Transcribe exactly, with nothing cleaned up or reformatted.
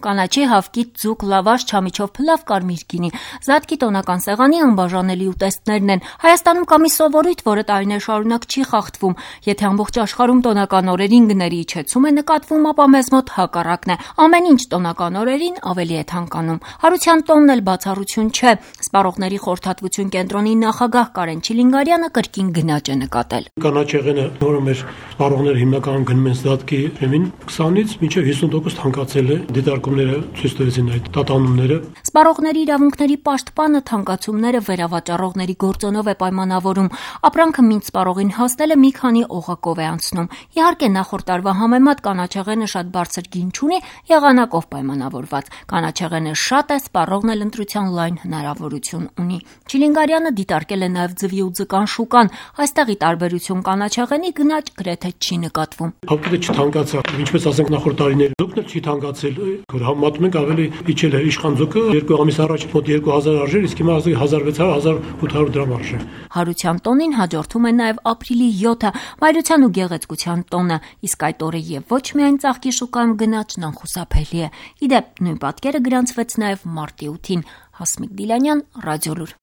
կանաչի, հավկիթ, ձուկ, լավաշ, չամիչով փլավ, կարմիր գինի։ Զատկի տոնական սեղանի անբաժանելի ուտեստներն են։ Հայաստանում կա մի սովորույթ, որը տարիներ շարունակ չի խախտվում։ Եթե ամբողջ աշխարհում տոնական օրերին գների իջեցում է նկատվում, ապա մեզ մոտ հակառակն է։ Ամեն ինչ տոնական օրերին ավելի է թանկանում։ Հարության տոնն էլ բացառություն չէ։ Սպառողների խորհրդատվություն կենտրոնի նախագահ Կարեն Չիլինգարյանը կրկին գնաճ է նկատել։ Կանաչեղենը, որը մեր սպառողները հիմնականում գնում են Զատկի ջրեմին, քսանից մինչև հիսուն տոկոս թանկացել է։ Դիտարկումները ցույց տվեցին այդ տատանումները։ Սպառողների իրավունքների պաշտպանը թանկացումները վերավաճառողների գործոնով է պայմանավորում։ Ապրանքը մինչ սպառողին հասնելը մի քանի օղակով է անցնում։ Իհարկե, նախորդ տարվա համեմատ կանաչեղենը շատ բարձր գին չունի, եղանակով պայմանավորված։ Կանաչեղենը շատ է, սպառողն էլ ընտրության լայն հնարավորություն ունի։ Չիլինգարյանը դիտարկել է նաև ձվի ու ձկան շուկան։ Այստեղի տարբերություն կանաչեղենի գնաճ գրեթե չի նկատվում։ Հավկիթը չթանկացավ, ինչպես ասենք նախորդ տարիներին, ձուկն էլ չի թանկացել, որ համեմատում ենք ավելի իջել է իշխան ձուկը երկու ամիս առաջ մոտ երկու հազար արժեր, իսկ հիմա հազար վեց հարյուր - հազար ութ հարյուր դրամ արժե։ Հարության տոնին հաջորդում է նաև ապրիլի յոթը, մայրության ու գեղեցկության տոնը, իսկ այդ օրը եւ ոչ միայն ծաղկի շուկայում գնաճն անխուսափելի է։ Ի դեպ, նույն պատկերը գրանցվեց նաև մարտի ութին։ Հասմիկ Դիլանյան, Ռադիոլուր։